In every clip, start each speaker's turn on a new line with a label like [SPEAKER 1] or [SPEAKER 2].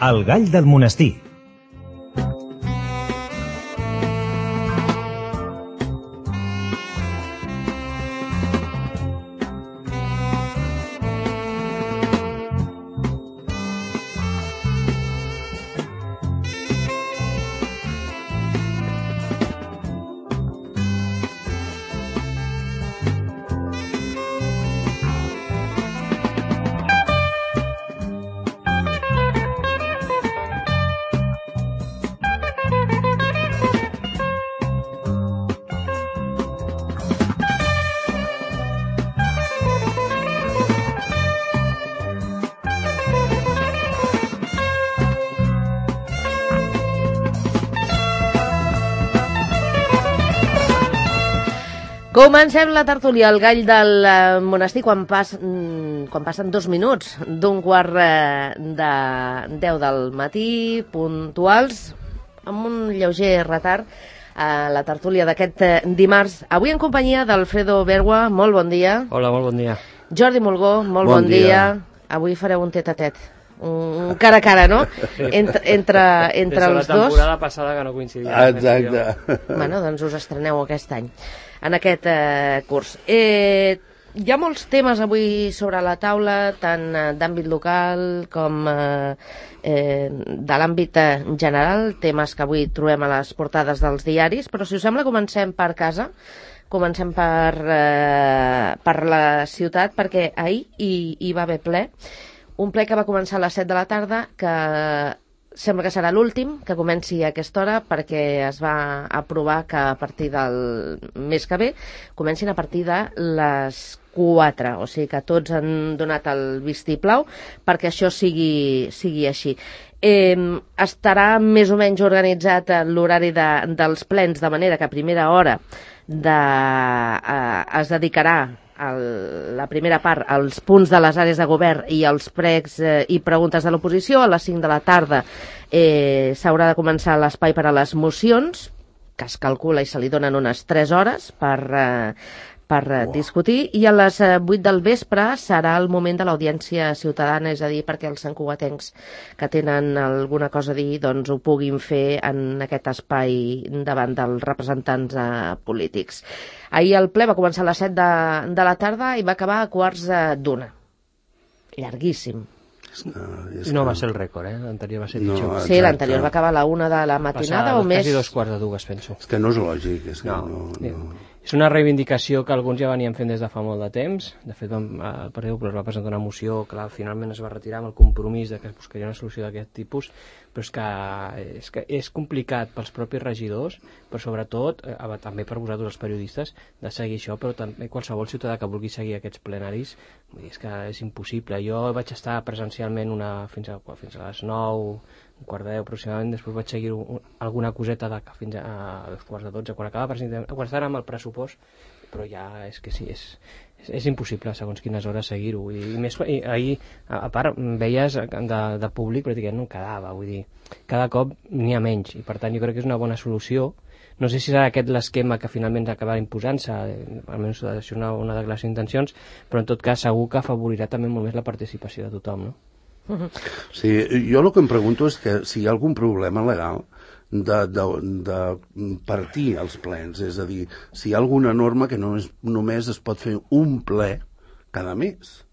[SPEAKER 1] El gall del monestir.
[SPEAKER 2] Comencem la tertúlia, el gall del monestir, quan passen 2 minuts d'un quart de 10 del matí, puntuals, amb un lleuger retard, a la tertúlia d'aquest dimarts. Avui en companyia d'Alfredo Bergua, molt bon dia.
[SPEAKER 3] Hola, molt bon dia.
[SPEAKER 2] Jordi Mulgó, molt bon dia. Avui fareu un tet-a-tet, un cara a cara, no? Entre els dos.
[SPEAKER 3] La temporada passada que no coincidia.
[SPEAKER 4] Exacte.
[SPEAKER 2] Bueno, doncs us estreneu aquest any, en aquest curs. Hi ha molts temes avui sobre la taula, tant d'àmbit local com de l'àmbit general, temes que avui trobem a les portades dels diaris, però si us sembla comencem per casa, comencem per la ciutat, perquè ahir hi va haver ple, un ple que va començar a les 7 de la tarda, que sembla que serà l'últim que comenci a aquesta hora, perquè es va aprovar que a partir del mes que ve comencin a partir de les 4, o sigui que tots han donat el vistiplau perquè això sigui així. Estarà més o menys organitzat l'horari dels plens, de manera que a primera hora es dedicarà la primera part als punts de les àrees de govern i als pregs i preguntes de l'oposició. A les 5 de la tarda s'haurà de començar l'espai per a les mocions, que es calcula i se li donen unes 3 hores per discutir, i a les 8 del vespre serà el moment de l'audiència ciutadana, és a dir, perquè els santcugatencs que tenen alguna cosa a dir doncs ho puguin fer en aquest espai davant dels representants polítics. Ahir el ple va començar a les 7 de la tarda i va acabar a 1:15. Llarguíssim.
[SPEAKER 3] No va ser el rècord, l'anterior va ser pitjor.
[SPEAKER 2] No, sí, l'anterior va acabar a la 1 de la matinada o més.
[SPEAKER 3] Quasi 2:45, penso.
[SPEAKER 4] És que no és lògic. És que no.
[SPEAKER 3] És una reivindicació que alguns ja venien fent des de fa molt de temps. De fet, el Partit Popular va presentar una moció que finalment es va retirar amb el compromís de que es buscaria una solució d'aquest tipus, però és que és complicat pels propis regidors, però sobretot també per vosaltres els periodistes, de seguir això, però també qualsevol ciutadà que vulgui seguir aquests plenaris, és que és impossible. Jo vaig estar presencialment fins a les 9, 1:15 aproximadament, després vaig seguir alguna coseta fins a 11:45, quan estàvem amb el pressupost, però ja és que sí, és impossible segons quines hores seguir-ho. I ahir, a part, veies de públic pràcticament no quedava, vull dir, cada cop n'hi ha menys, i per tant jo crec que és una bona solució. No sé si serà aquest l'esquema que finalment acabarà imposant-se, almenys això és una declaració d'intencions, però en tot cas segur que afavorirà també molt més la participació de tothom, no?
[SPEAKER 4] Sí, jo el que em pregunto és que si hi ha algun problema legal de partir els plens, és a dir, si hi ha alguna norma que només es pot fer un ple cada mes,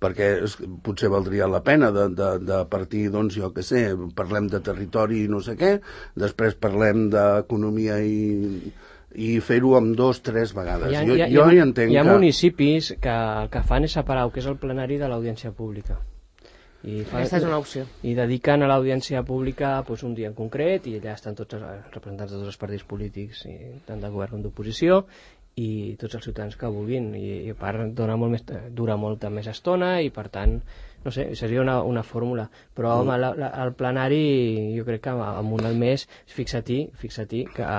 [SPEAKER 4] perquè potser valdria la pena de partir, doncs jo què sé, parlem de territori i no sé què, després parlem d'economia i fer-ho amb 2 o 3 vegades. Jo hi entenc que...
[SPEAKER 3] Hi ha municipis que el que fan és separar el que és el plenari de l'audiència pública.
[SPEAKER 2] Aquesta és una opció.
[SPEAKER 3] I dediquen a l'audiència pública un dia en concret, i allà estan tots els representants de tots els partits polítics, tant de govern com d'oposició, i tots els ciutadans que vulguin, i a part dura molta més estona, i per tant, no sé, seria una fórmula. Però home, el plenari jo crec que amb un al mes, fixa-t'hi que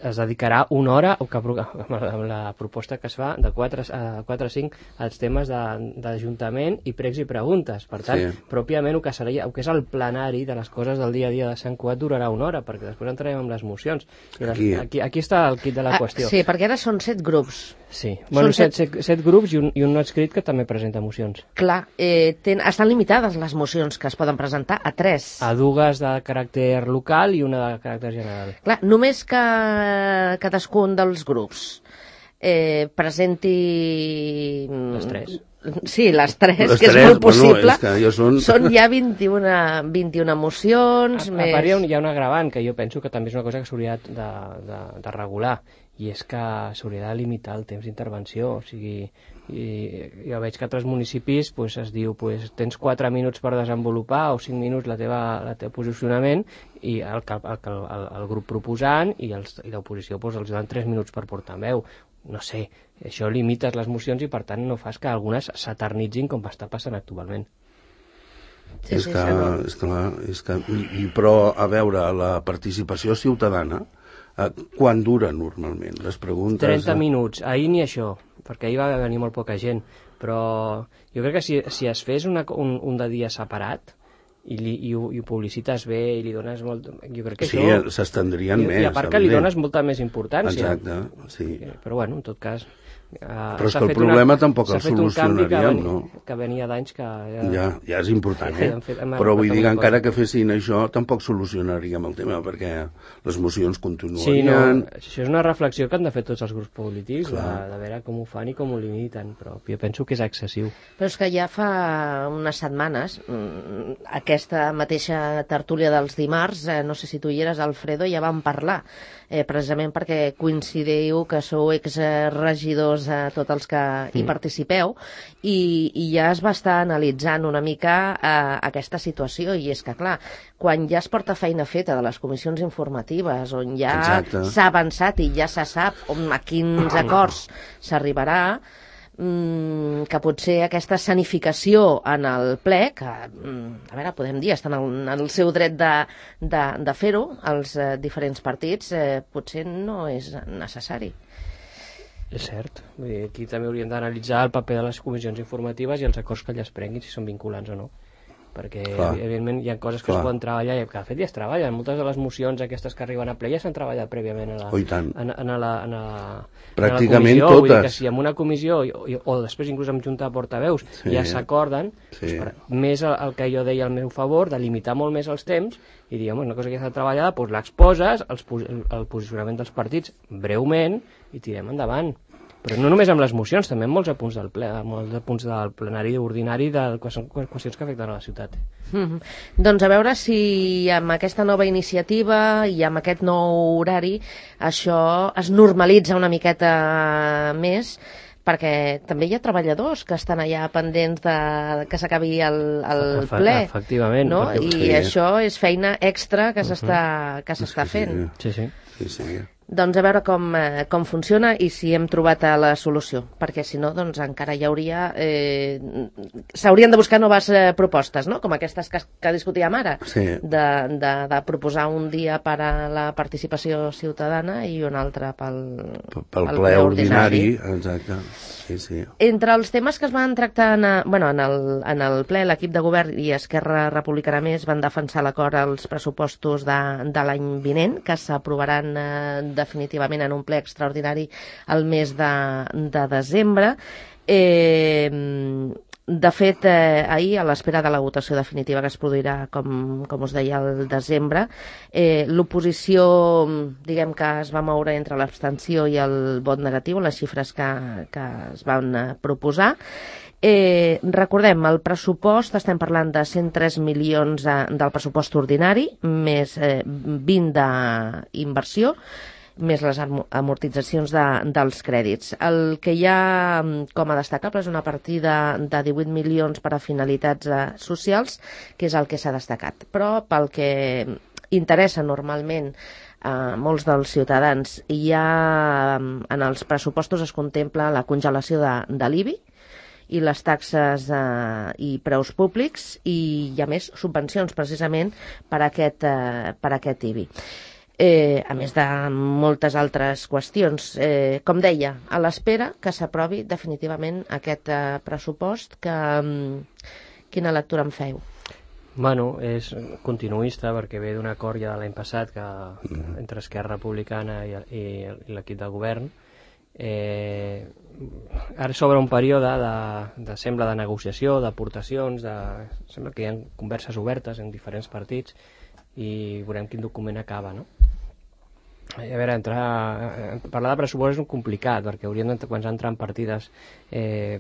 [SPEAKER 3] es dedicarà una hora, amb la proposta que es fa de 4 a 5 als temes d'Ajuntament i pregs i preguntes. Per tant, pròpiament el que és el plenari de les coses del dia a dia de Sant Cugat durarà una hora, perquè després entrarem amb les mocions. Aquí està el quid de la qüestió.
[SPEAKER 2] Sí, perquè ara són 7 grups
[SPEAKER 3] Sí, bueno,
[SPEAKER 2] Són
[SPEAKER 3] 7 grups i un no adscrit que també presenta mocions.
[SPEAKER 2] Clar, estan limitades les mocions que es poden presentar a 3.
[SPEAKER 3] A dues de caràcter local i una de caràcter general.
[SPEAKER 2] Clar, només que cadascun dels grups presenti...
[SPEAKER 3] Les 3.
[SPEAKER 2] Sí, les 3,
[SPEAKER 4] Les
[SPEAKER 2] que és
[SPEAKER 4] 3,
[SPEAKER 2] molt possible.
[SPEAKER 4] Bueno, és que ja
[SPEAKER 2] Són ja 21 mocions.
[SPEAKER 3] A part hi ha un agravant, que jo penso que també és una cosa que s'hauria de regular, i és que s'hauria de limitar el temps d'intervenció. O sigui, jo veig que a altres municipis es diu tens 4 minuts per desenvolupar o 5 minuts el teu posicionament, i el grup proposant i l'oposició els donen 3 minuts per portar veu. No sé, això limites les mocions i per tant no fas que algunes s'eternitzin com està passant actualment.
[SPEAKER 4] És que, però, a veure, la participació ciutadana, quan dura normalment? Les preguntes...
[SPEAKER 3] 30 minuts, ahir ni això, perquè ahir va venir molt poca gent, però jo crec que si es fes un de dia separat i ho publicites bé i li dones molt... Jo crec que
[SPEAKER 4] sí,
[SPEAKER 3] això...
[SPEAKER 4] s'estendrien més.
[SPEAKER 3] I a part que li dones molta més importància.
[SPEAKER 4] Exacte, sí.
[SPEAKER 3] Però bueno, en tot cas...
[SPEAKER 4] Però és que el problema tampoc el solucionaríem, no?
[SPEAKER 3] Que venia d'anys que...
[SPEAKER 4] Ja és important, Però vull dir que encara que fessin això tampoc solucionaríem el tema, perquè les mocions continuarien...
[SPEAKER 3] Sí, això és una reflexió que han de fer tots els grups polítics, de veure com ho fan i com ho limiten, però jo penso que és excessiu.
[SPEAKER 2] Però és que ja fa unes setmanes, aquesta mateixa tertúlia dels dimarts, no sé si tu hi eres, Alfredo, ja vam parlar, precisament perquè coincidiu que sou exregidors tots els que hi participeu, i ja es va estar analitzant una mica aquesta situació, i és que, clar, quan ja es porta feina feta de les comissions informatives, on ja s'ha avançat i ja se sap a quins acords s'arribarà, que potser aquesta escenificació en el ple, que, a veure, podem dir, estan en el seu dret de fer-ho, els diferents partits, potser no és necessari.
[SPEAKER 3] És cert. Vull dir, aquí també hauríem d'analitzar el paper de les comissions informatives i els acords que elles prenguin, si són vinculants o no. Perquè, evidentment, hi ha coses que es poden treballar, i que de fet ja es treballen. Moltes de les mocions aquestes que arriben a ple ja s'han treballat prèviament a la
[SPEAKER 4] pràcticament
[SPEAKER 3] comissió.
[SPEAKER 4] Totes.
[SPEAKER 3] Vull dir que si en una comissió, o després inclús en junta de portaveus, ja s'acorden, més el que jo deia al meu favor, de limitar molt més els temps, i dir, home, una cosa que ja està treballada, doncs l'exposes, el posicionament dels partits, breument, i tirem endavant. Però no només amb les mocions, també amb molts apunts del ple, molts apunts del plenari ordinari, que són qüestions que afecten a la ciutat.
[SPEAKER 2] Doncs a veure si amb aquesta nova iniciativa i amb aquest nou horari això es normalitza una miqueta més, perquè també hi ha treballadors que estan allà pendents que s'acabi el ple.
[SPEAKER 3] Efectivament.
[SPEAKER 2] No? I això és feina extra que s'està fent.
[SPEAKER 3] Sí.
[SPEAKER 2] Doncs a veure com funciona i si hem trobat la solució, perquè si no, doncs encara hi hauria... s'haurien de buscar noves propostes, no? Com aquestes que discutíem ara, de proposar un dia per a la participació ciutadana i un altre pel
[SPEAKER 4] ple ordinari. Exacte. Sí.
[SPEAKER 2] Entre els temes que es van tractar en el ple, l'equip de govern i Esquerra Republicana Més van defensar l'acord als pressupostos de l'any vinent, que s'aprovaran definitivament en un ple extraordinari el mes de desembre. De fet, ahir, a l'espera de la votació definitiva que es produirà, com us deia, al desembre, l'oposició, diguem que es va moure entre l'abstenció i el vot negatiu, les xifres que es van proposar. Recordem, el pressupost, estem parlant de 103 milions del pressupost ordinari, més 20 d'inversió, més les amortitzacions dels crèdits. El que hi ha com a destacable és una partida de 18 milions per a finalitats socials, que és el que s'ha destacat. Però pel que interessa normalment a molts dels ciutadans, en els pressupostos es contempla la congelació de l'IBI i les taxes i preus públics, i hi ha més subvencions precisament per a aquest IBI. A més de moltes altres qüestions. Com deia, a l'espera que s'aprovi definitivament aquest pressupost, quina lectura en feu?
[SPEAKER 3] Bueno, és continuista perquè ve d'un acord ja de l'any passat entre Esquerra Republicana i l'equip de govern, Ara s'obre un període sembla de negociació, d'aportacions, sembla que hi ha converses obertes en diferents partits i veurem quin document acaba, no? A veure, parlar de pressupost és un complicat, perquè hauríem de començar a entrar en partides.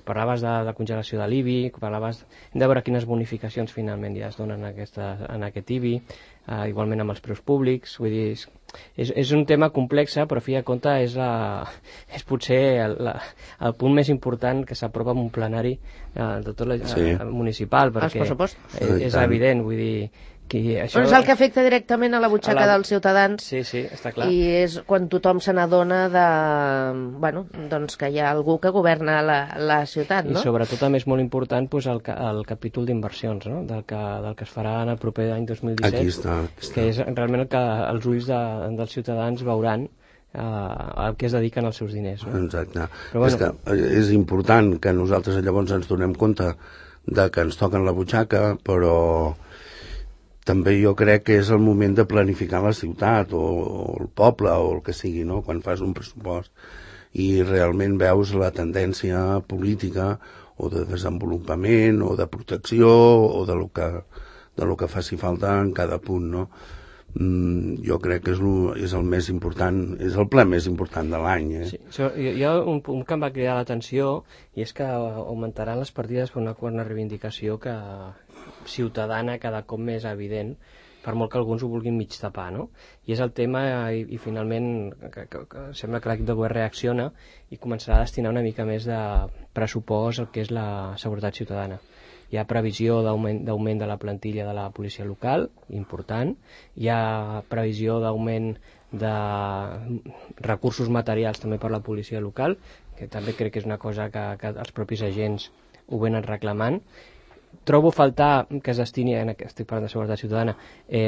[SPEAKER 3] Parlaves de congelació de l'IBI, hem de veure quines bonificacions finalment ja es donen en aquest IBI, igualment amb els preus públics. Vull dir, és un tema complex, però a fi de compte és potser el punt més important que s'aprova en un plenari de tot municipal, perquè és evident, vull dir,
[SPEAKER 2] però és el que afecta directament a la butxaca dels ciutadans.
[SPEAKER 3] Sí, està clar.
[SPEAKER 2] I és quan tothom se n'adona doncs que hi ha algú que governa la ciutat, no?
[SPEAKER 3] I sobretot també és molt important el capítol d'inversions, no? del que es farà en el proper any 2017.
[SPEAKER 4] Aquí està.
[SPEAKER 3] Que és realment el que els ulls dels ciutadans veuran al que es dediquen els seus diners. No?
[SPEAKER 4] Exacte. Però, és que és important que nosaltres llavors ens donem compte de que ens toquen la butxaca, però també jo crec que és el moment de planificar la ciutat o el poble o el que sigui, no? Quan fas un pressupost i realment veus la tendència política o de desenvolupament o de protecció o de lo que faci falta en cada punt, no? Jo crec que és el més important, és el ple més important de l'any.
[SPEAKER 3] Sí, hi ha un punt que em va cridar l'atenció i és que augmentaran les partides per una reivindicació ciutadana cada cop més evident, per molt que alguns ho vulguin mig tapar, no? I és el tema, i finalment que sembla que l'equip de govern reacciona i començarà a destinar una mica més de pressupost al que és la seguretat ciutadana. Hi ha previsió d'augment de la plantilla de la policia local, important. Hi ha previsió d'augment de recursos materials també per la policia local, que també crec que és una cosa que els propis agents ho venen reclamant. Trobo faltar que es destini, estic parlant de seguretat ciutadana,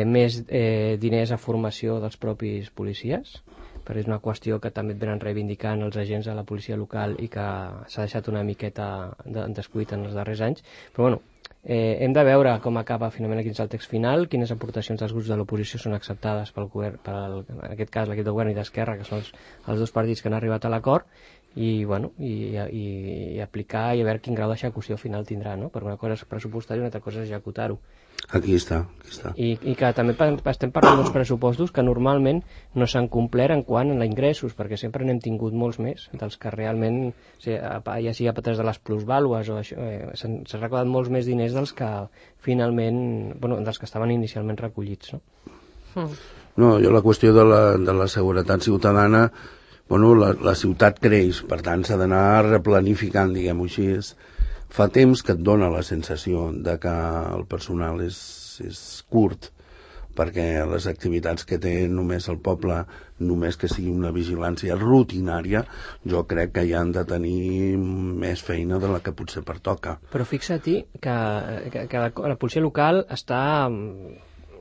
[SPEAKER 3] més diners a formació dels propis policies, perquè és una qüestió que també et venen reivindicant els agents de la policia local i que s'ha deixat una miqueta descuit en els darrers anys. Però bueno, hem de veure com acaba finalment quin és el text final, quines aportacions dels grups de l'oposició són acceptades pel govern, en aquest cas l'equip de govern i d'Esquerra, que són els dos partits que han arribat a l'acord, i aplicar i a veure quin grau d'execució final tindrà, no? Perquè una cosa és pressupostar i una altra cosa és executar-ho.
[SPEAKER 4] Aquí està.
[SPEAKER 3] I que també estem parlant d'uns pressupostos que normalment no s'han complert en quant a ingressos, perquè sempre n'hem tingut molts més dels que realment, ja sigui a través de les plusvàlues o això, s'han recordat molts més diners dels que finalment, dels que estaven inicialment recollits, no?
[SPEAKER 4] No, jo la qüestió de la seguretat ciutadana, la ciutat creix, per tant s'ha d'anar replanificant, diguem-ho així. Fa temps que et dona la sensació de que el personal és curt, perquè les activitats que té només el poble, només que sigui una vigilància rutinària, jo crec que hi han de tenir més feina de la que potser pertoca.
[SPEAKER 3] Però fixa-t'hi que la policia local està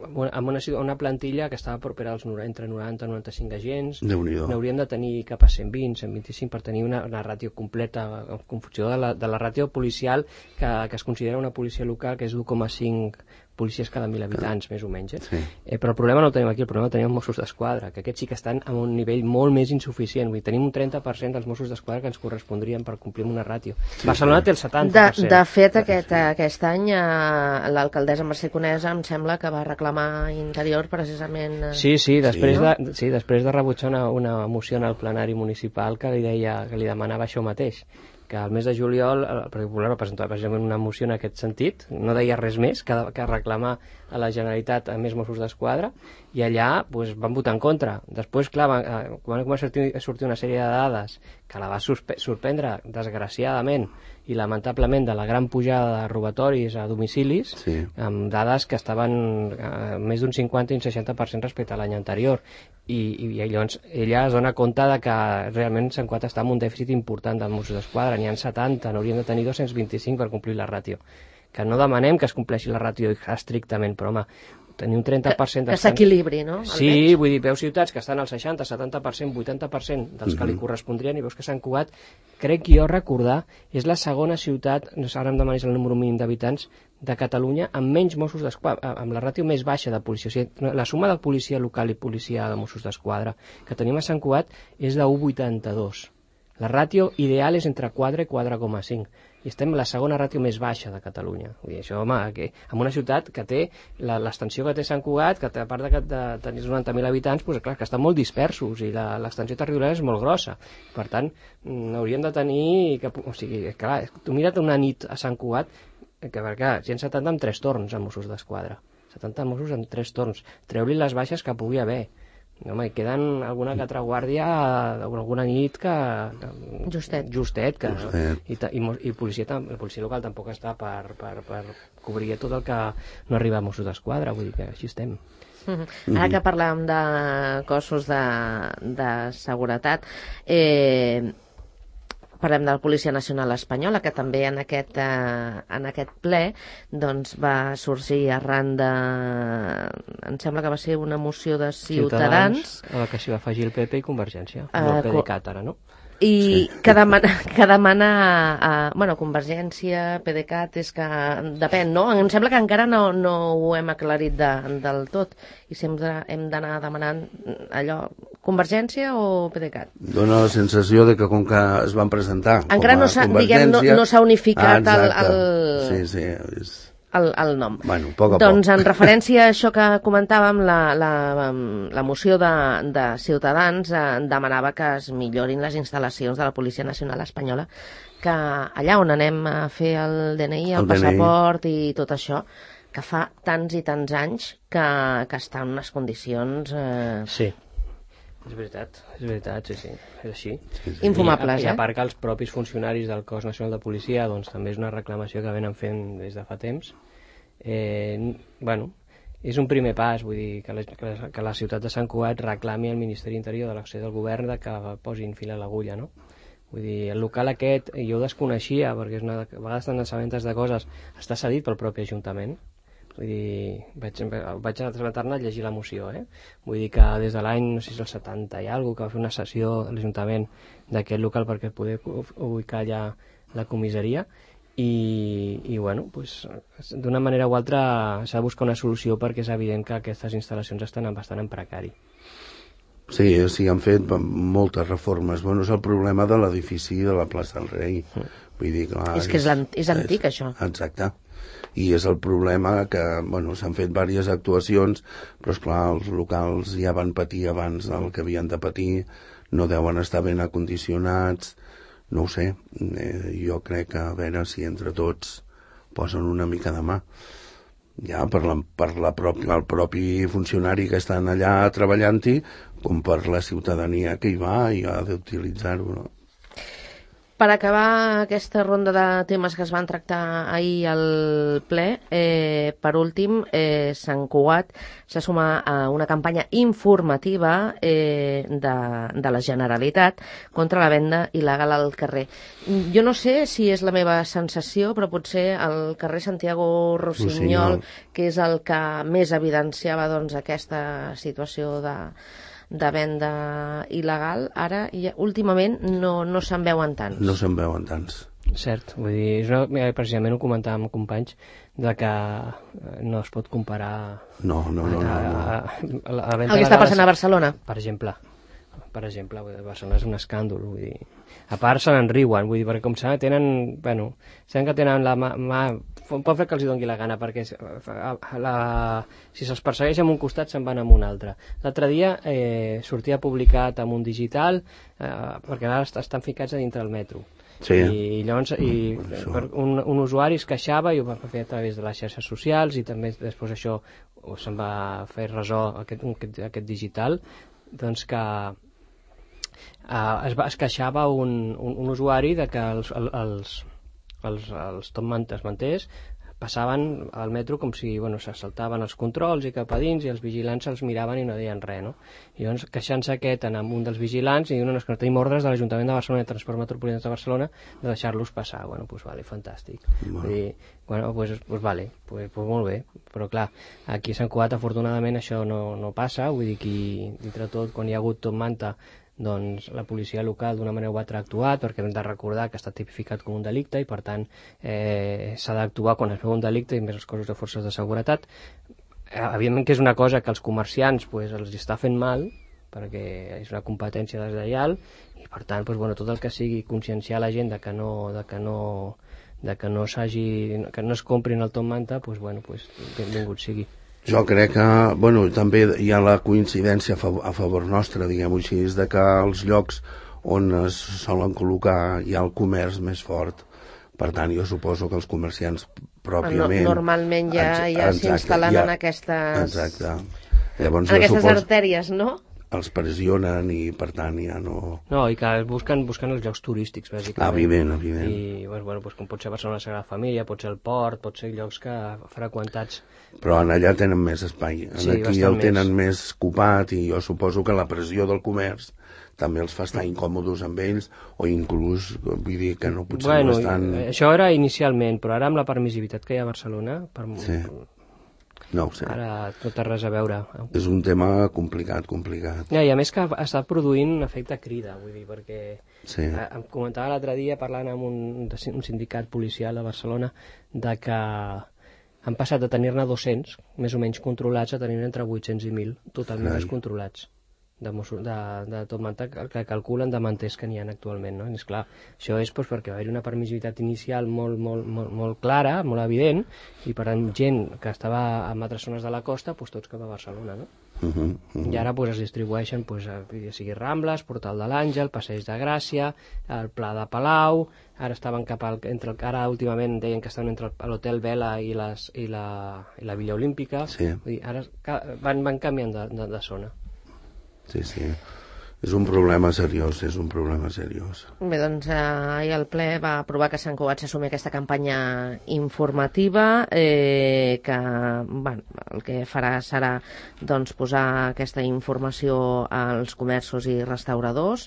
[SPEAKER 3] amb una plantilla que estava propera als entre 90 i 95 agents. N'hauríem de tenir cap a 120, 125 per tenir una ràtio completa, en funció de la ràtio policial que es considera una policia local, que és 1,5 policies cada 1.000 habitants, més o menys.
[SPEAKER 4] Sí.
[SPEAKER 3] Però el problema no el tenim aquí, el problema el tenim els Mossos d'Esquadra, que aquests sí que estan a un nivell molt més insuficient. Vull dir, tenim un 30% dels Mossos d'Esquadra que ens correspondrien per complir amb una ràtio. Barcelona té el 70%.
[SPEAKER 2] De fet, aquest any l'alcaldessa Mercè Conesa em sembla que va reclamar Interior precisament...
[SPEAKER 3] Sí, després de rebutjar una moció en el plenari municipal que li demanava això mateix, que al mes de juliol el Partit Popular va presentar precisament una moció en aquest sentit, no deia res més que reclamar a la Generalitat a més Mossos d'Esquadra, i allà van votar en contra. Després, clar, quan va sortir una sèrie de dades que la va sorprendre desgraciadament i lamentablement de la gran pujada de robatoris a domicilis, amb dades que estaven més d'un 50 i un 60% respecte a l'any anterior, i llavors ella es dona compte de que realment Sant Cugat està en un dèficit important dels Mossos d'Esquadra, n'hi ha 70, n'hauríem de tenir 225 per complir la ràtio. Que no demanem que es compleixi la ràtio estrictament, però home, tenir un 30%...
[SPEAKER 2] Que s'equilibri, no?
[SPEAKER 3] Sí, vull dir, veus ciutats que estan al 60, 70%, 80% dels que li correspondrien, i veus que Sant Cugat, crec jo recordar, és la segona ciutat, ara em demanis el número mínim d'habitants, de Catalunya amb menys Mossos d'Esquadra, amb la ràtio més baixa de policia. O sigui, la suma de policia local i policia de Mossos d'Esquadra que tenim a Sant Cugat és de 1,82. La ràtio ideal és entre 4 i 4,5 i estem la segona ràtio més baixa de Catalunya. Vull dir, això, home, en una ciutat que té l'extensió que té Sant Cugat, que a part de tenir 90.000 habitants, doncs, clar, que estan molt dispersos i l'extensió territorial és molt grossa. Per tant, hauríem de tenir... O sigui, clar, tu mira't una nit a Sant Cugat, perquè 170 amb 3 torns a Mossos d'Esquadra. 70 Mossos amb 3 torns. Treu-li les baixes que pugui haver. Home, hi queden alguna que altra guàrdia alguna nit que justet i policia local tampoc està per cobrir tot el que no arriba a Mossos d'Esquadra, vull dir que així estem.
[SPEAKER 2] Ara que parlàvem de cossos de seguretat, parlem de la Policia Nacional Espanyola, que també en aquest ple doncs, va sorgir arran de... Em sembla que va ser una moció de Ciutadans
[SPEAKER 3] a la que s'hi va afegir el PP i Convergència, el PDeCAT ara, no?
[SPEAKER 2] I que demana bueno, Convergència, PDeCAT, és que depèn, no? Em sembla que encara no ho hem aclarit del tot i sempre hem d'anar demanant allò, Convergència o PDeCAT?
[SPEAKER 4] Dóna la sensació de que com que es van presentar
[SPEAKER 2] encara no s'ha unificat el nom.
[SPEAKER 4] Bueno, poc a
[SPEAKER 2] doncs
[SPEAKER 4] poc.
[SPEAKER 2] en referència a això que comentàvem, la moció de Ciutadans demanava que es millorin les instal·lacions de la Policia Nacional Espanyola, que allà on anem a fer el DNI, el passaport i tot això, que fa tants i tants anys que està en unes condicions...
[SPEAKER 3] Sí. És veritat, sí, és així.
[SPEAKER 2] Infumables,
[SPEAKER 3] I a part que els propis funcionaris del Cos Nacional de Policia doncs, també és una reclamació que venen fent des de fa temps. Bueno, és un primer pas, vull dir, que la ciutat de Sant Cugat reclami al Ministeri Interior de l'acció del govern de que posin fil a l'agulla, no? Vull dir, el local aquest jo ho desconeixia, perquè a vegades te'n assabentes de coses, està cedit pel propi Ajuntament. Vull dir, vaig assabentar-ne a llegir la moció, Vull dir que des de l'any, no sé si és el 70 i alguna cosa, que va fer una sessió a l'Ajuntament d'aquest local perquè poder ubicar allà la comissaria i bueno, pues, d'una manera o altra s'ha de buscar una solució perquè és evident que aquestes instal·lacions estan bastant en precari.
[SPEAKER 4] Sí, han fet moltes reformes. Bueno, és el problema de l'edifici de la plaça del Rei. Vull dir, clar,
[SPEAKER 2] és que és antic, això.
[SPEAKER 4] Exacte. I és el problema que, bueno, s'han fet diverses actuacions, però, esclar, els locals ja van patir abans del que havien de patir, no deuen estar ben acondicionats, no ho sé, jo crec que a veure si entre tots posen una mica de mà. Ja per el propi funcionari que estan allà treballant-hi, com per la ciutadania que hi va i ha d'utilitzar-ho, no?
[SPEAKER 2] Per acabar aquesta ronda de temes que es van tractar ahir al ple, per últim, Sant Cugat s'ha sumat a una campanya informativa de la Generalitat contra la venda il·legal al carrer. Jo no sé si és la meva sensació, però potser el carrer Santiago Rossinyol, que és el que més evidenciava doncs, aquesta situació de venda il·legal, ara últimament no se'n veuen tants.
[SPEAKER 4] No se'n veuen tants.
[SPEAKER 3] Cert, vull dir, precisament ho comentàvem amb companys, de que no es pot comparar...
[SPEAKER 4] No.
[SPEAKER 2] El que està passant a Barcelona.
[SPEAKER 3] Per exemple, Barcelona és un escàndol, vull dir. A part se n'enriuen, vull dir, perquè com saben, saben que tenen la mà... Pot fer que els doni la gana, perquè si se'ls persegueix en un costat se'n van en un altre. L'altre dia sortia publicat en un digital, perquè ara estan ficats a dintre del metro.
[SPEAKER 4] Sí.
[SPEAKER 3] I llavors un usuari es queixava i ho va fer a través de les xarxes socials i també després això se'n va fer ressò aquest digital, doncs que es queixava un usuari de que els top manters passaven al metro com si s'assaltaven els controls i cap a dins i els vigilants els miraven i no deien res, no? I llavors queixant-se amb un dels vigilants i diuen que tenim ordres de l'Ajuntament de Barcelona i de Transport Metropolità de Barcelona de deixar-los passar. Bueno, doncs vale, fantàstic. Vull dir, molt bé, però clar, aquí a Sant Cugat afortunadament això no passa, vull dir que dintre tot quan hi ha hagut top manta doncs la policia local d'una manera o altra ha actuat, perquè hem de recordar que està tipificat com un delicte i per tant s'ha d'actuar quan es veu un delicte i més els cossos de forces de seguretat. Evidentment que és una cosa que els comerciants els està fent mal, perquè és una competència deslleial i per tant tot el que sigui conscienciar la gent que no es comprin el Top Manta, benvingut sigui.
[SPEAKER 4] Jo crec que, també hi ha la coincidència a favor nostre, diguem-ho així, és de que els llocs on es solen col·locar hi ha el comerç més fort. Per tant, jo suposo que els comerciants pròpiament...
[SPEAKER 2] Normalment ja s'instal·len en aquestes...
[SPEAKER 4] Exacte. Llavors,
[SPEAKER 2] en aquestes artèries, no?
[SPEAKER 4] Els pressionen i, per tant, ja no...
[SPEAKER 3] No, i que busquen els llocs turístics, bàsicament.
[SPEAKER 4] Evident.
[SPEAKER 3] I, com pot ser Barcelona Sagrada Família, pot ser el Port, pot ser llocs que freqüentats...
[SPEAKER 4] Però allà tenen més espai. Aquí el tenen més copat i jo suposo que la pressió del comerç també els fa estar incòmodes amb ells o inclús, vull dir que no potser no estan...
[SPEAKER 3] Això era inicialment, però ara amb la permissivitat que hi ha a Barcelona...
[SPEAKER 4] Sí. No ho sé.
[SPEAKER 3] Ara tot té res a veure.
[SPEAKER 4] És un tema complicat.
[SPEAKER 3] Ja, i a més que està produint un efecte crida, vull dir, perquè em comentava l'altre dia parlant amb un sindicat policial a Barcelona de que han passat de tenir-ne 200, més o menys controlats, a tenir entre 800 i 1.000 totalment descontrolats de Top Manta, que calculen de manters que n'hi ha actualment, no? I esclar, això és perquè va haver-hi una permissivitat inicial molt clara, molt evident, i per tant gent que estava en altres zones de la costa, tots cap a Barcelona, no? I ara es distribueixen, ja sigui Rambles, Portal de l'Àngel, Passeig de Gràcia, el Pla de Palau, ara estaven ara últimament deien que estaven entre l'Hotel Vela i la Villa Olímpica, vull dir, ara van canviant de zona.
[SPEAKER 4] Sí. És un problema seriós,
[SPEAKER 2] Bé, doncs ahir el ple va aprovar que Sant Cugat s'assumi aquesta campanya informativa que el que farà serà posar aquesta informació als comerços i restauradors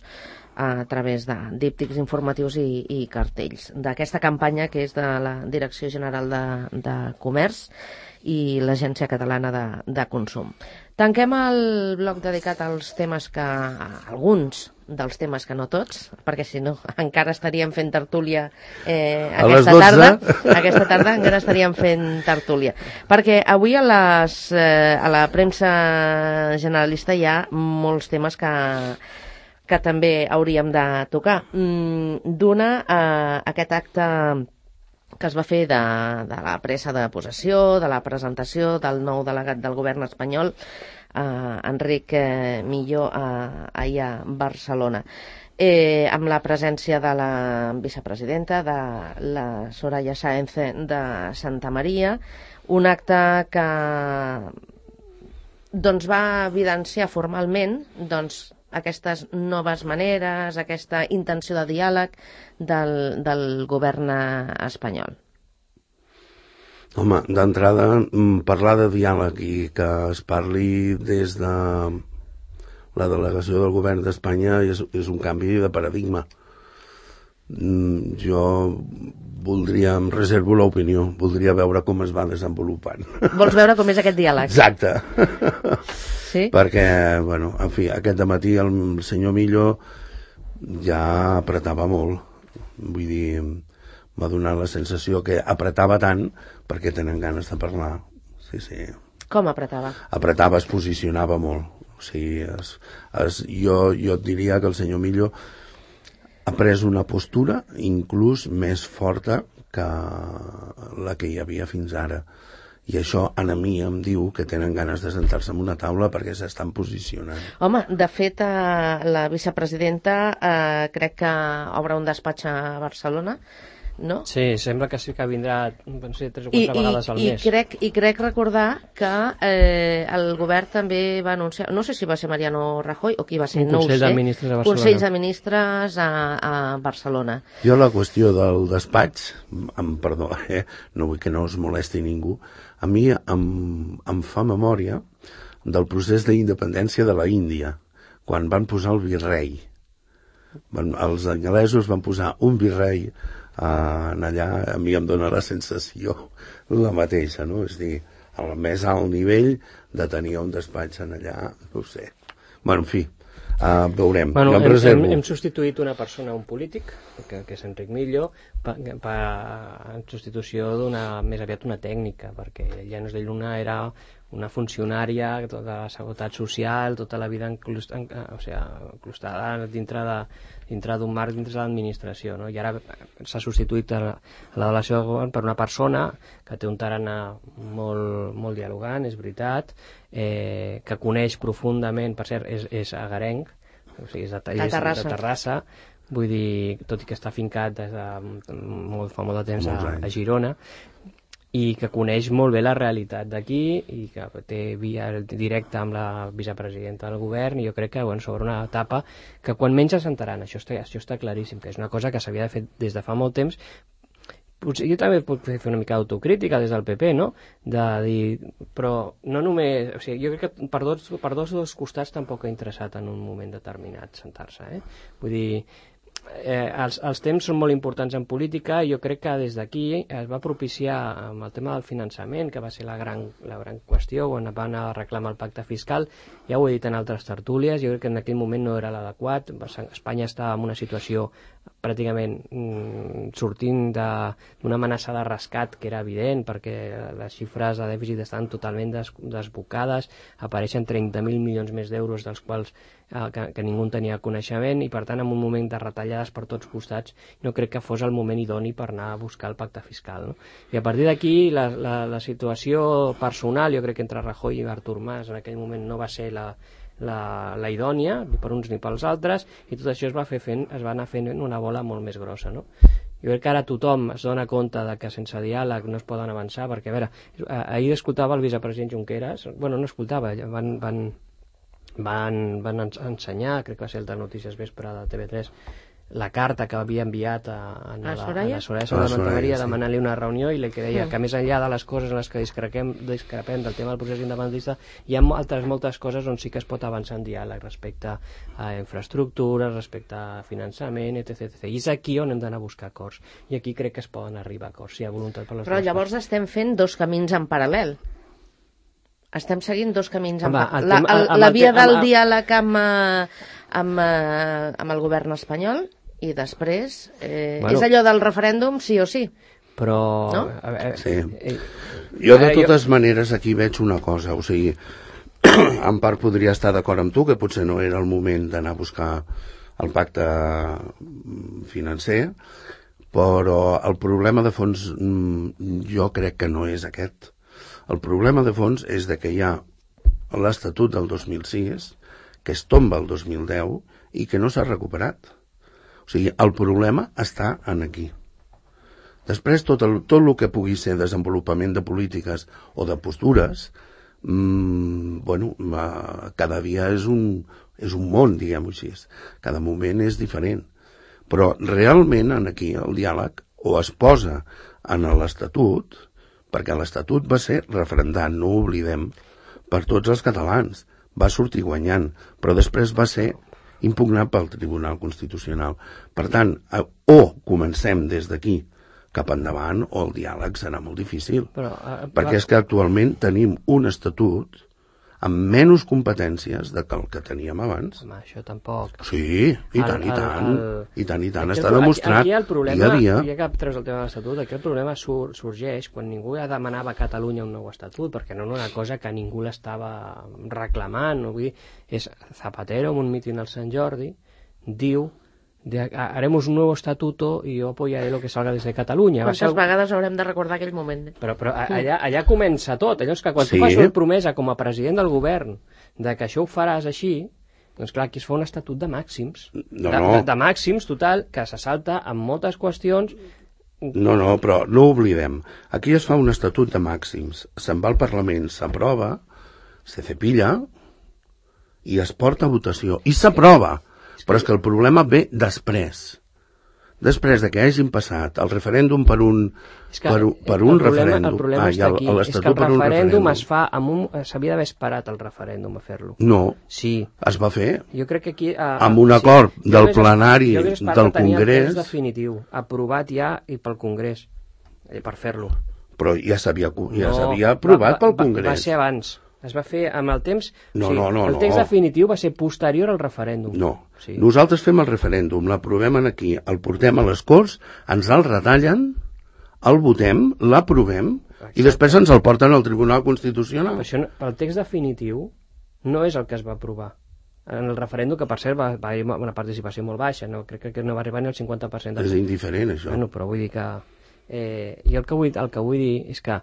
[SPEAKER 2] a través de díptics informatius i cartells. D'aquesta campanya que és de la Direcció General de Comerç i l'Agència Catalana de Consum. Tanquem el bloc dedicat als temes alguns dels temes que no tots, perquè si no encara estaríem fent tertúlia aquesta tarda encara estaríem fent tertúlia. Perquè avui a la premsa generalista hi ha molts temes que també hauríem de tocar. D'una, aquest acte que es va fer de la presa de possessió, de la presentació del nou delegat del govern espanyol, Enric Millo, ahir a Barcelona, amb la presència de la vicepresidenta, de la Soraya Sáenz de Santa Maria, un acte que va evidenciar formalment aquestes noves maneres, aquesta intenció de diàleg del govern espanyol.
[SPEAKER 4] Home, d'entrada, parlar de diàleg i que es parli des de la delegació del govern d'Espanya és un canvi de paradigma. Jo em reservo l'opinió, voldria veure com es va desenvolupant.
[SPEAKER 2] Vols veure com és aquest diàleg?
[SPEAKER 4] Exacte.
[SPEAKER 2] Sí?
[SPEAKER 4] Perquè, en fi, aquest dematí el senyor Millo ja apretava molt. Vull dir, m'ha donat la sensació que apretava tant perquè tenen ganes de parlar. Sí.
[SPEAKER 2] Com apretava?
[SPEAKER 4] Apretava, es posicionava molt. O sigui, jo et diria que el senyor Millo ha pres una postura inclús més forta que la que hi havia fins ara. I això a mi em diu que tenen ganes de sentar-se en una taula perquè s'estan posicionant.
[SPEAKER 2] Home, de fet, la vicepresidenta crec que obre un despatx a Barcelona, no?
[SPEAKER 3] Sí, sembla que sí que vindrà 3 o 4 vegades al mes.
[SPEAKER 2] I crec recordar que el govern també va anunciar, no sé si va ser Mariano Rajoy o qui va ser, no ho sé.
[SPEAKER 3] Consell de Ministres a Barcelona.
[SPEAKER 2] Consell de Ministres a Barcelona.
[SPEAKER 4] Jo la qüestió del despatx, perdó, no vull que no us molesti ningú, a mi em fa memòria del procés d'independència de la Índia, quan van posar el virrei. Els anglesos van posar un virrei allà, a mi em dóna la sensació la mateixa, no? És a dir, al més alt nivell de tenir un despatx allà, no ho sé. En fi, veurem.
[SPEAKER 3] Hem substituït una persona, un polític, que és Enric Millo, en substitució d'una més aviat una tècnica, perquè Llanos de Lluna era una funcionària de la Seguretat Social, tota la vida encrustada dintre d'un marc, dintre de l'administració, no? I ara s'ha substituït la delegació del govern per una persona que té un tarannà molt dialogant, és veritat, que coneix profundament, per cert, és agarenc, o sigui, és de Terrassa, vull dir, tot i que està fincat des de fa molt de temps a Girona, i que coneix molt bé la realitat d'aquí i que té via directa amb la vicepresidenta del govern, i jo crec que sobre una etapa que quan menys assentaran, això està claríssim, que és una cosa que s'havia de fer des de fa molt temps. Potser jo també puc fer una mica d'autocrítica des del PP, no? De dir, però no només, o sigui, jo crec que per dos costats tampoc ha interessat en un moment determinat sentar-se, Vull dir, els temps són molt importants en política, i jo crec que des d'aquí es va propiciar amb el tema del finançament, que va ser la gran qüestió quan van anar a reclamar el pacte fiscal. Ja ho he dit en altres tertúlies, jo crec que en aquell moment no era l'adequat. Espanya estava en una situació pràcticament sortint d'una amenaça de rescat que era evident, perquè les xifres de dèficit estan totalment desbocades, apareixen 30.000 milions més d'euros dels quals que ningú en tenia coneixement, i per tant en un moment de retallades per tots costats no crec que fos el moment idoni per anar a buscar el pacte fiscal, no? I a partir d'aquí la situació personal, jo crec que entre Rajoy i Artur Mas en aquell moment no va ser la idònia, ni per uns ni pels altres, i tot això es va anar fent una bola molt més grossa, no? Jo crec que ara tothom es dona compte de que sense diàleg no es poden avançar, perquè, a veure, ahir escoltava el vicepresident Junqueras, bueno, no escoltava, van ensenyar, crec que va ser el de Notícies Vespre de TV3, la carta que havia enviat a la Soraya Santamaría demanant-li una reunió, i li deia que més enllà de les coses en les que discrepem del tema del procés independentista, hi ha moltes coses on sí que es pot avançar en diàleg respecte a infraestructures, respecte a finançament, etc. I és aquí on hem d'anar a buscar acords, i aquí crec que es poden arribar a acords, si hi ha voluntat per les
[SPEAKER 2] Però llavors estem fent dos camins en paral·lel. Estem seguint dos camins en paral·lel. La via del diàleg amb el govern espanyol, i després és allò del referèndum sí o sí.
[SPEAKER 3] Però...
[SPEAKER 2] No?
[SPEAKER 4] Sí. Jo de totes maneres aquí veig una cosa, o sigui, en part podria estar d'acord amb tu que potser no era el moment d'anar a buscar el pacte financer, però el problema de fons jo crec que no és aquest. El problema de fons és que hi ha l'Estatut del 2006 que es tomba el 2010 i que no s'ha recuperat. O sigui, el problema està aquí. Després, tot el que pugui ser desenvolupament de polítiques o de postures, cada dia és un món, diguem-ho així. Cada moment és diferent. Però realment aquí el diàleg o es posa en l'Estatut, perquè l'Estatut va ser referendat, no ho oblidem, per tots els catalans. Va sortir guanyant, però després va ser impugnat pel Tribunal Constitucional. Per tant, o comencem des d'aquí cap endavant, o el diàleg serà molt difícil. Perquè és que actualment tenim un estatut amb menys competències del que teníem abans.
[SPEAKER 3] Home, això tampoc.
[SPEAKER 4] Sí, i tant. Està demostrat dia a dia.
[SPEAKER 3] Ja que treus el tema de l'Estatut, aquí el problema sorgeix quan ningú ja demanava a Catalunya un nou Estatut, perquè no era una cosa que ningú l'estava reclamant. No? Vull dir, és Zapatero, en un míting al Sant Jordi, diu haremos un nuevo estatuto y yo apoyaré lo que salga desde Catalunya.
[SPEAKER 2] Quantes vegades haurem de recordar aquell moment?
[SPEAKER 3] Però allà comença tot. Allò és que quan tu fas una promesa com a president del govern de que això ho faràs així, doncs clar, aquí es fa un estatut de màxims. De màxims, total, que se salta amb moltes qüestions.
[SPEAKER 4] No, però no oblidem. Aquí es fa un estatut de màxims. Se'n va al Parlament, s'aprova, se cepilla i es porta a votació. I s'aprova. Però és que el problema ve després de que hagin passat el referèndum per un referèndum.
[SPEAKER 3] El problema està aquí, és que el referèndum es fa s'havia d'haver esperat el referèndum a fer-lo.
[SPEAKER 4] No,
[SPEAKER 3] sí.
[SPEAKER 4] Es va fer
[SPEAKER 3] jo crec que aquí,
[SPEAKER 4] amb un acord del plenari del Congrés.
[SPEAKER 3] Definitiu, aprovat ja i pel Congrés per fer-lo.
[SPEAKER 4] Però ja s'havia aprovat pel Congrés.
[SPEAKER 3] Va ser abans. Es va fer amb el temps... El text definitiu va ser posterior al referèndum.
[SPEAKER 4] No. Nosaltres fem el referèndum, l'aprovem aquí, el portem a les Corts, ens el retallen, el votem, l'aprovem I després ens el porten al Tribunal Constitucional.
[SPEAKER 3] El text definitiu no és el que es va aprovar. En el referèndum, que per cert va haver una participació molt baixa, no? Crec que no va arribar ni al 50%.
[SPEAKER 4] És indiferent, això.
[SPEAKER 3] Bueno, però vull dir que... jo el que vull dir és que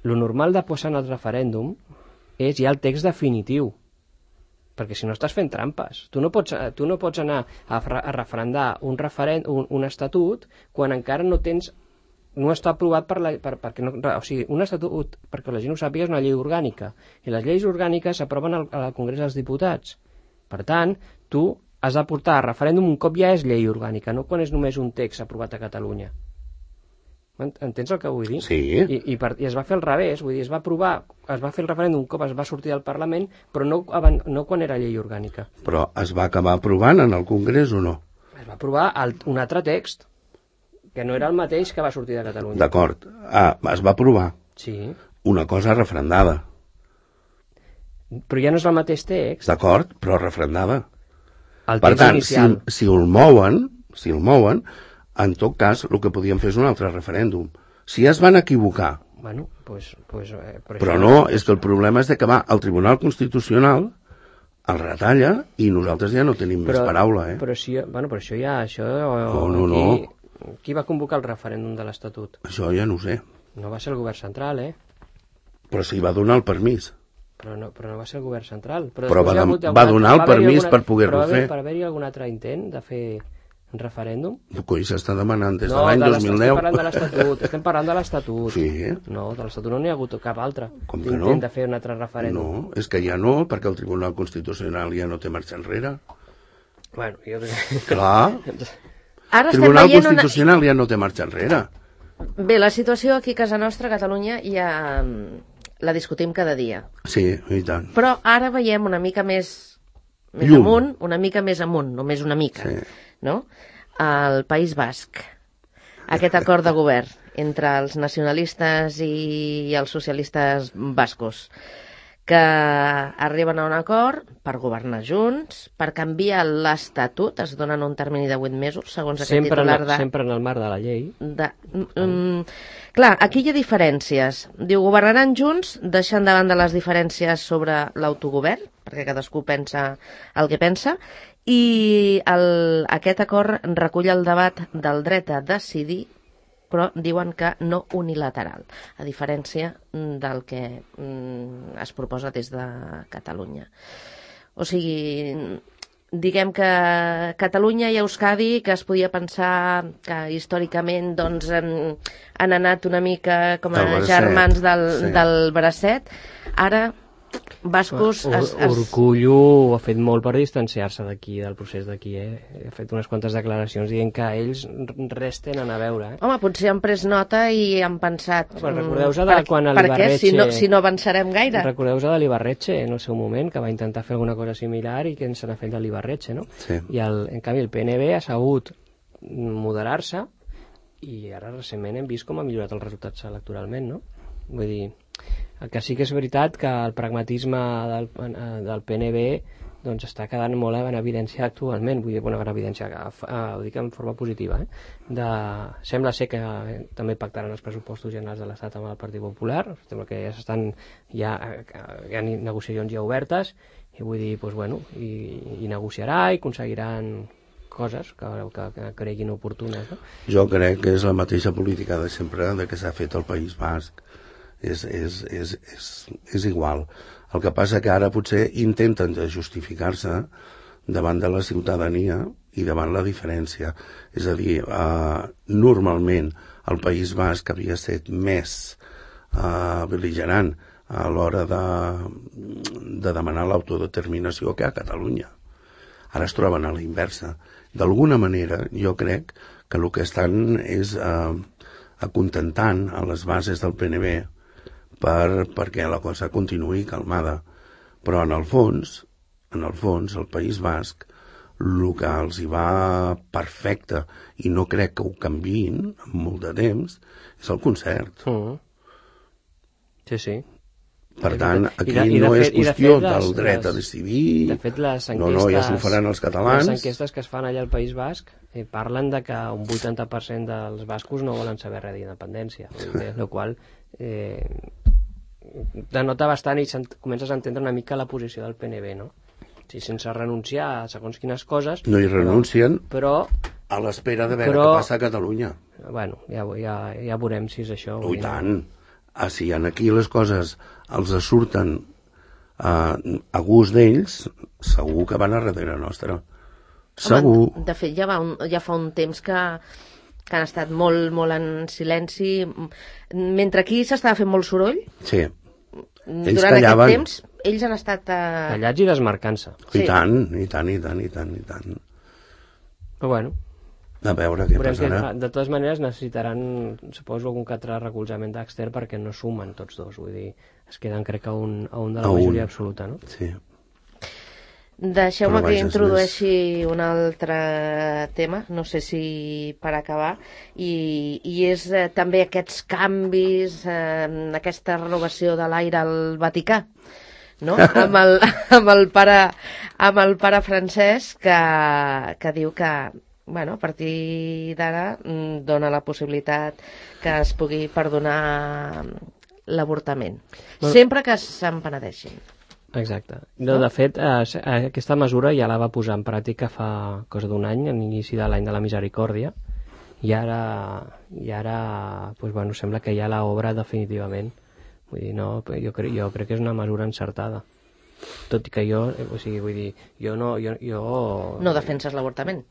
[SPEAKER 3] lo normal de posar en el referèndum és ja el text definitiu, perquè si no estàs fent trampes. Tu no pots anar a referendar un estatut quan encara no està aprovat perquè no, o sigui, un estatut, perquè la gent ho sàpiga, és una llei orgànica, i les lleis orgàniques s'aproven al Congrés dels Diputats. Per tant, tu has de portar a referèndum un cop ja és llei orgànica, no quan és només un text aprovat a Catalunya. Entens el que vull dir?
[SPEAKER 4] Sí.
[SPEAKER 3] I es va fer al revés, vull dir, es va fer el referèndum un cop es va sortir del Parlament, però no quan era llei orgànica.
[SPEAKER 4] Però es va acabar aprovant en el Congrés o no?
[SPEAKER 3] Es va aprovar un altre text, que no era el mateix que va sortir de Catalunya.
[SPEAKER 4] D'acord. Es va aprovar.
[SPEAKER 3] Sí.
[SPEAKER 4] Una cosa referendada.
[SPEAKER 3] Però ja no és el mateix text.
[SPEAKER 4] D'acord, però referendada.
[SPEAKER 3] El
[SPEAKER 4] per
[SPEAKER 3] text
[SPEAKER 4] tant,
[SPEAKER 3] inicial.
[SPEAKER 4] si el mouen, en tot cas, el que podien fer és un altre referèndum. Si es van equivocar.
[SPEAKER 3] Bueno, pues,
[SPEAKER 4] però no, és que el problema és que va al Tribunal Constitucional, el retalla, i nosaltres ja no tenim més paraula,
[SPEAKER 3] Però això ja...
[SPEAKER 4] No.
[SPEAKER 3] Qui va convocar el referèndum de l'Estatut?
[SPEAKER 4] Això ja no ho sé.
[SPEAKER 3] No va ser el govern central,
[SPEAKER 4] Però sí va donar el permís.
[SPEAKER 3] Però no va ser el govern central.
[SPEAKER 4] Però va donar el permís per poder-ho fer.
[SPEAKER 3] Per haver-hi algun altre intent de fer un referèndum?
[SPEAKER 4] Coi, s'està demanant des de l'any 2010.
[SPEAKER 3] Estem parlant de l'Estatut.
[SPEAKER 4] Sí.
[SPEAKER 3] No, de l'Estatut no n'hi ha hagut cap altre.
[SPEAKER 4] Com que no?
[SPEAKER 3] Intent de fer un altre referèndum.
[SPEAKER 4] No, és que ja no, perquè el Tribunal Constitucional ja no té marxa enrere.
[SPEAKER 3] Bueno, jo crec...
[SPEAKER 4] Clar.
[SPEAKER 2] Ara
[SPEAKER 4] el Tribunal Constitucional ja no té marxa enrere.
[SPEAKER 2] Bé, la situació aquí a casa nostra, a Catalunya, ja la discutim cada dia.
[SPEAKER 4] Sí, i tant.
[SPEAKER 2] Però ara veiem una mica més amunt, una mica més amunt, només una mica, no? Al País Basc. Aquest acord de govern entre els nacionalistes i els socialistes bascos, que arriben a un acord per governar junts, per canviar l'Estatut, es donen un termini de 8 mesos, segons aquest titular de...
[SPEAKER 3] Sempre en el marc de la llei.
[SPEAKER 2] Clar, aquí hi ha diferències. Diu, governaran junts, deixant de banda les diferències sobre l'autogovern, perquè cadascú pensa el que pensa, i aquest acord recull el debat del dret a decidir, però diuen que no unilateral, a diferència del que es proposa des de Catalunya. O sigui, diguem que Catalunya i Euskadi, que es podia pensar que històricament doncs, han anat una mica com a germans del bracet, ara bascos...
[SPEAKER 3] Urkullu ha fet molt per distanciar-se d'aquí, del procés d'aquí, Ha fet unes quantes declaracions dient que ells res tenen a veure,
[SPEAKER 2] Home, potser han pres nota i han pensat...
[SPEAKER 3] Recordeu-vos de quan
[SPEAKER 2] l'Ibarretxe... Per què? Si no avançarem gaire.
[SPEAKER 3] Recordeu-vos de l'Ibarretxe en el seu moment, que va intentar fer alguna cosa similar i que se n'ha fet de l'Ibarretxe, no?
[SPEAKER 4] Sí.
[SPEAKER 3] I en canvi el PNB ha sabut moderar-se i ara recentment hem vist com ha millorat els resultats electoralment, no? Vull dir... El que sí que és veritat que el pragmatisme del PNB doncs està quedant molt en evidència actualment, vull dir, en evidència, ho dic en forma positiva, sembla ser que també pactaran els pressupostos generals de l'Estat amb el Partit Popular, sembla que hi ha negociacions ja obertes, i vull dir, doncs, bueno, i negociarà i aconseguiran coses que creguin oportunes, no?
[SPEAKER 4] Jo crec que és la mateixa política de sempre que s'ha fet al País Basc. És igual. El que passa que ara potser intenten justificar-se davant de la ciutadania i davant la diferència. És a dir, normalment el País Basc havia estat més bel·ligerant a l'hora de demanar l'autodeterminació que a Catalunya. Ara es troben a la inversa. D'alguna manera, jo crec que el que estan és acontentant a les bases del PNB perquè la cosa continuï calmada. Però en el fons, el País Basc, el que els hi va perfecte, i no crec que ho canviïn en molt de temps, és el concert.
[SPEAKER 3] Sí.
[SPEAKER 4] Per tant, aquí no és qüestió del dret a decidir.
[SPEAKER 3] De fet, les enquestes...
[SPEAKER 4] No, ja s'ho faran els catalans.
[SPEAKER 3] Les enquestes que es fan allà al País Basc parlen de que un 80% dels bascos no volen saber res d'independència, el qual denota bastant i comences a entendre una mica la posició del PNB, no? Sí, sense renunciar a segons quines coses...
[SPEAKER 4] No hi renuncien
[SPEAKER 3] però
[SPEAKER 4] a l'espera de veure què passa a Catalunya.
[SPEAKER 3] Bueno, ja veurem si és això.
[SPEAKER 4] I tant. Si aquí les coses els surten a gust d'ells, segur que van a darrere nostra. Segur.
[SPEAKER 2] De fet, ja fa un temps que han estat molt, molt en silenci. Mentre aquí s'estava fent molt soroll,
[SPEAKER 4] sí. Ells
[SPEAKER 2] durant
[SPEAKER 4] callaven.
[SPEAKER 2] aquest temps, ells han estat...
[SPEAKER 3] Callats i desmarcant-se.
[SPEAKER 4] Sí. I tant.
[SPEAKER 3] Però bueno...
[SPEAKER 4] A veure què passarà.
[SPEAKER 3] De totes maneres necessitaran, suposo, algun altre recolzament extern perquè no sumen tots dos. Vull dir, es queden, crec que, a un de la majoria absoluta, no?
[SPEAKER 4] Sí.
[SPEAKER 2] Deixeu-me que introdueixi un altre tema, no sé si per acabar, i és també aquests canvis, aquesta renovació de l'aire al Vaticà, no? amb el pare Francesc que diu que, bueno, a partir d'ara dona la possibilitat que es pugui perdonar l'avortament, sempre que se'n penedeixin.
[SPEAKER 3] Exacte. No, de fet, aquesta mesura ja la va posar en pràctica fa cosa d'un any, a l'inici de l'any de la misericòrdia, i ara pues, bueno, sembla que ja l'obra definitivament. Vull dir, no, jo crec que és una mesura encertada. Tot i que jo, o sigui, vull dir, jo no...
[SPEAKER 2] No defenses l'avortament?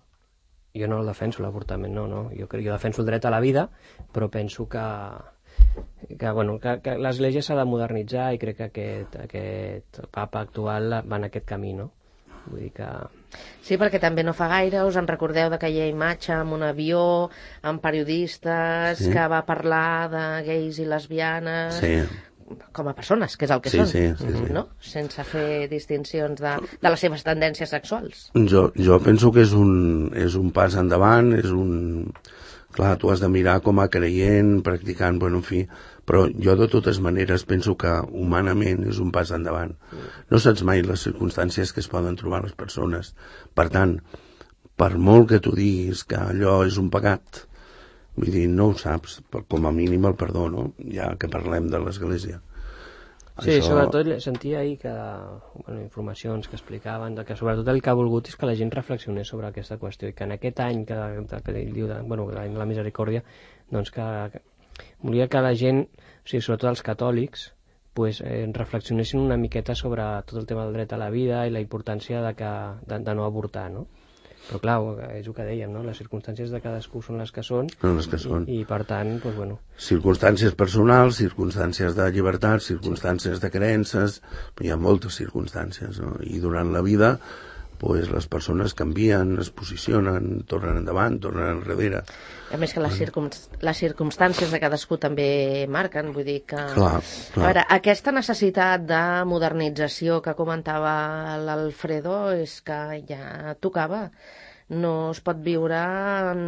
[SPEAKER 3] Jo no el defenso, l'avortament, no. Jo defenso el dret a la vida, però penso que l'Església s'ha de modernitzar i crec que aquest papa actual va en aquest camí, no? Vull dir que...
[SPEAKER 2] Sí, perquè també no fa gaire us en recordeu d'aquella imatge amb un avió, amb periodistes, sí, que va parlar de gais i lesbianes...
[SPEAKER 4] Sí.
[SPEAKER 2] Com a persones, que és el que són,
[SPEAKER 4] sí.
[SPEAKER 2] No? Sense fer distincions de les seves tendències sexuals.
[SPEAKER 4] Jo penso que és un pas endavant, Clar, tu has de mirar com a creient, practicant, bueno, en fi, però jo de totes maneres penso que humanament és un pas endavant. No saps mai les circumstàncies que es poden trobar les persones. Per tant, per molt que tu diguis que allò és un pecat, vull dir, no ho saps, com a mínim el perdó, no? Ja que parlem de l'Església.
[SPEAKER 3] Sí, sobretot sentia ahir que, informacions que explicaven que sobretot el que ha volgut és que la gent reflexionés sobre aquesta qüestió i que en aquest any que ell diu, l'any de la misericòrdia, doncs que volia que la gent, o sigui, sobretot els catòlics, pues, reflexionessin una miqueta sobre tot el tema del dret a la vida i la importància de no avortar, no? Però clar, és el que dèiem, no? Les circumstàncies de cadascú són les que són. I per tant, doncs, bueno...
[SPEAKER 4] Circumstàncies personals, circumstàncies de llibertat, circumstàncies de creences, hi ha moltes circumstàncies, no? I durant la vida, pues, les persones canvien, es posicionen, tornen endavant, tornen enrere.
[SPEAKER 2] A més que les circumstàncies de cadascú també marquen, vull dir que...
[SPEAKER 4] Clar.
[SPEAKER 2] A veure, aquesta necessitat de modernització que comentava l'Alfredo és que ja tocava. No es pot viure en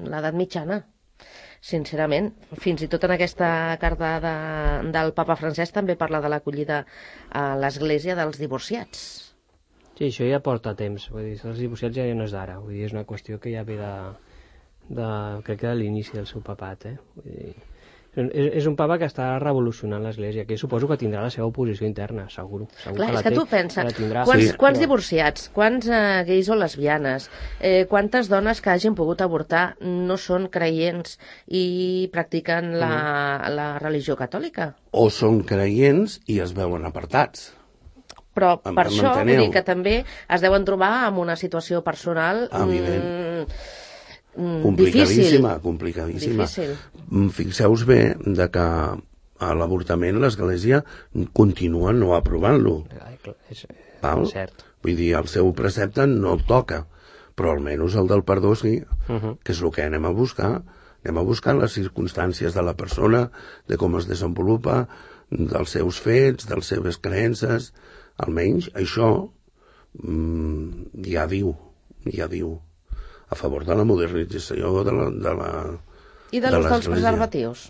[SPEAKER 2] l'edat mitjana, sincerament. Fins i tot en aquesta carta del papa Francesc també parla de l'acollida a l'Església dels divorciats.
[SPEAKER 3] Sí, això ja porta temps. Vull dir, els divorciats ja no és d'ara. Vull dir, és una qüestió que ja ve crec que de l'inici del seu papat, Vull dir, és un papa que està revolucionant l'Església, que suposo que tindrà la seva oposició interna, segur.
[SPEAKER 2] Clar, és que tu pensa, quants divorciats, quants gais o lesbianes, quantes dones que hagin pogut avortar no són creients i practiquen la religió catòlica?
[SPEAKER 4] O són creients i es veuen apartats.
[SPEAKER 2] Però per això vull dir que també es deuen trobar en una situació personal
[SPEAKER 4] complicadíssima.
[SPEAKER 2] Difícil.
[SPEAKER 4] Fixeu-vos bé de que a l'avortament l'Església continua no aprovant-lo.
[SPEAKER 3] És
[SPEAKER 4] cert. Vull dir, el seu precepte no el toca, però almenys el del perdó sí, que és el que anem a buscar. Anem a buscar les circumstàncies de la persona, de com es desenvolupa, dels seus fets, de les seves creences. Almenys això ja diu a favor de la modernització de l'Església.
[SPEAKER 2] I de l'ús dels preservatius?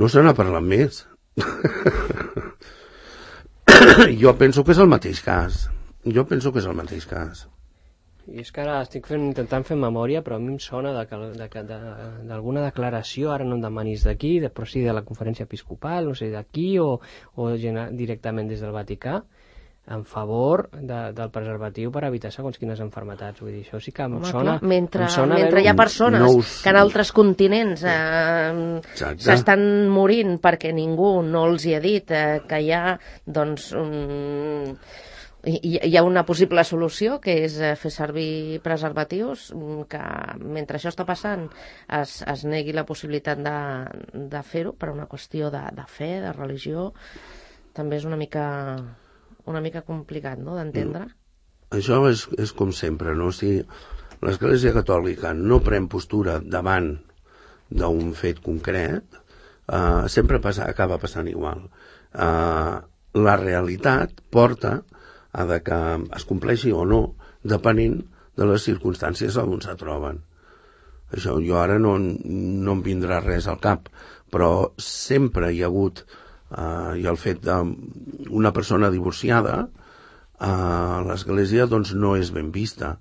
[SPEAKER 4] No se n'ha parlat més. Jo penso que és el mateix cas.
[SPEAKER 3] I és que ara estic intentant fer memòria, però a mi em sona d'alguna declaració, ara no em demanis d'aquí, però sí de la conferència episcopal, no sé, d'aquí o directament des del Vaticà, en favor del preservatiu per evitar segons quines malalties. Vull dir, això sí que em sona...
[SPEAKER 2] Mentre hi ha persones que en altres continents s'estan morint perquè ningú no els hi ha dit que hi ha, doncs, hi ha una possible solució, que és fer servir preservatius, que mentre això està passant es negui la possibilitat de fer-ho per una qüestió de fe, de religió, també és una mica complicat, no?, d'entendre.
[SPEAKER 4] Això és com sempre, no? Si l'Església Catòlica no pren postura davant d'un fet concret, sempre acaba passant igual. La realitat porta a que es compleixi o no, depenent de les circumstàncies on se troben. Això jo ara no em vindrà res al cap, però sempre hi ha hagut, i el fet d'una persona divorciada, l'Església doncs no és ben vista,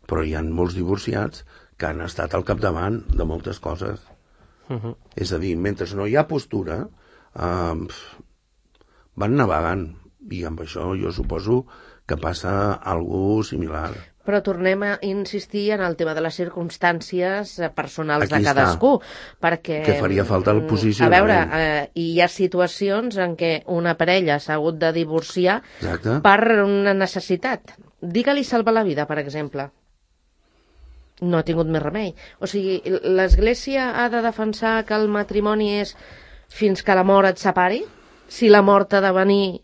[SPEAKER 4] però hi ha molts divorciats que han estat al capdavant de moltes coses. És a dir, mentre no hi ha postura, van navegant, i amb això jo suposo que passa alguna similar.
[SPEAKER 2] Però tornem a insistir en el tema de les circumstàncies personals de cadascú, perquè...
[SPEAKER 4] Que faria falta el posicionament.
[SPEAKER 2] A veure, hi ha situacions en què una parella s'ha hagut de divorciar per una necessitat. Digue-li salvar la vida, per exemple. No ha tingut més remei. O sigui, l'Església ha de defensar que el matrimoni és fins que la mort et separi? Si la mort ha de venir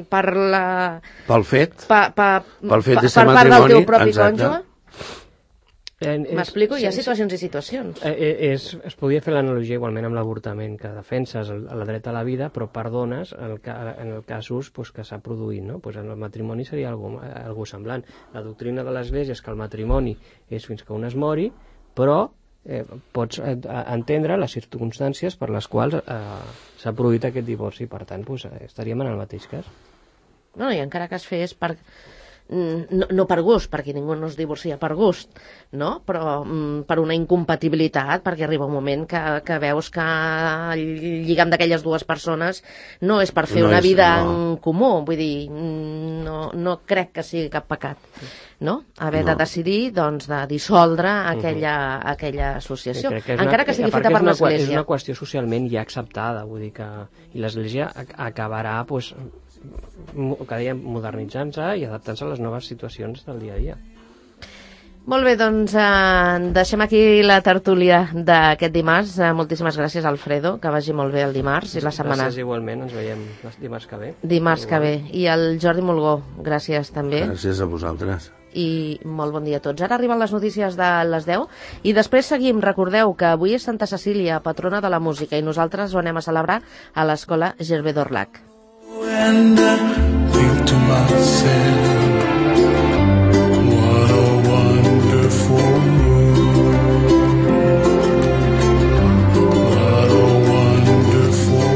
[SPEAKER 4] pel fet de ser
[SPEAKER 2] matrimoni, per part del teu propi cònjuge? M'explico? Hi ha situacions i situacions.
[SPEAKER 3] Es podria fer l'analogia igualment amb l'avortament, que defenses el dret a la vida, però perdones en el casos que s'ha produït, no? El matrimoni seria algo semblant. La doctrina de l'Església és que el matrimoni és fins que un es mori, però pots entendre les circumstàncies per les quals s'ha produït aquest divorci. Per tant, estaríem en el mateix cas.
[SPEAKER 2] No, i encara que es fes no per gust, perquè ningú no es divorcia per gust, no? Però per una incompatibilitat, perquè arriba un moment que veus que el lligam d'aquelles dues persones no és per fer una vida en comú. Vull dir, no crec que sigui cap pecat, no? Haver de decidir, doncs, de dissoldre aquella associació, encara que sigui feta per l'Església.
[SPEAKER 3] És una qüestió socialment ja acceptada, vull dir que l'Església acabarà, cada dia modernitzant-se i adaptant-se a les noves situacions del dia a dia.
[SPEAKER 2] Molt bé, doncs deixem aquí la tertúlia d'aquest dimarts. Moltíssimes gràcies, Alfredo, que vagi molt bé el dimarts i la setmana.
[SPEAKER 3] Gràcies igualment, ens veiem dimarts que ve.
[SPEAKER 2] Dimarts que ve. I el Jordi Mulgó, gràcies també.
[SPEAKER 4] Gràcies a vosaltres.
[SPEAKER 2] I molt bon dia a tots. Ara arriben les notícies de les 10 i després seguim. Recordeu que avui és Santa Cecília, patrona de la música, i nosaltres ho anem a celebrar a l'Escola Gervé d'Orlac.
[SPEAKER 1] And I think to myself, what a wonderful world, what a wonderful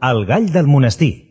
[SPEAKER 5] El gall del monestir.